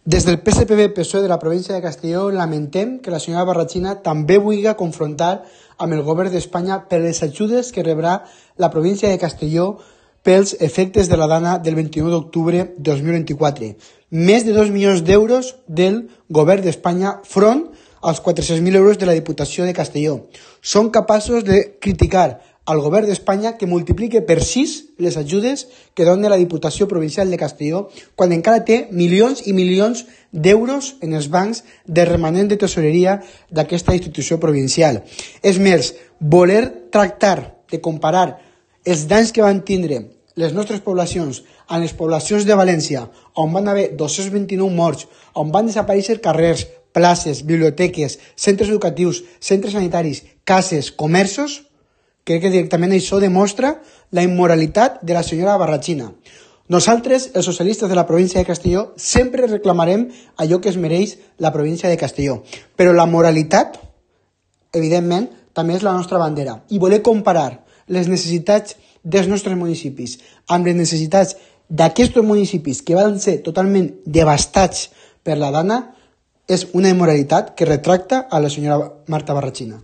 Des del PSPB-PSOE de la província de Castelló lamentem que la senyora Barrachina també vulgui confrontar amb el govern d'Espanya per les ajudes que rebrà la província de Castelló pels efectes de la dana del 21 d'octubre de 2024. Més de 2 milions d'euros del govern d'Espanya front als 400.000 euros de la Diputació de Castelló. Són capaços de criticar al govern d'Espanya que multiplique per 6 les ajudes que dona la Diputació Provincial de Castelló quan encara té milions i milions d'euros en els bancs de remanent de tesoreria d'aquesta institució provincial. És més, voler tractar de comparar els danys que van tindre les nostres poblacions amb les poblacions de València, on van haver 229 morts, on van desaparèixer carrers, places, biblioteques, centres educatius, centres sanitaris, cases, comerços, crec que directament això demostra la immoralitat de la senyora Barrachina. Nosaltres, els socialistes de la província de Castelló, sempre reclamarem allò que es mereix la província de Castelló. Però la moralitat, evidentment, també és la nostra bandera. I voler comparar les necessitats dels nostres municipis amb les necessitats d'aquests municipis que van ser totalment devastats per la dana és una immoralitat que retracta a la senyora Marta Barrachina.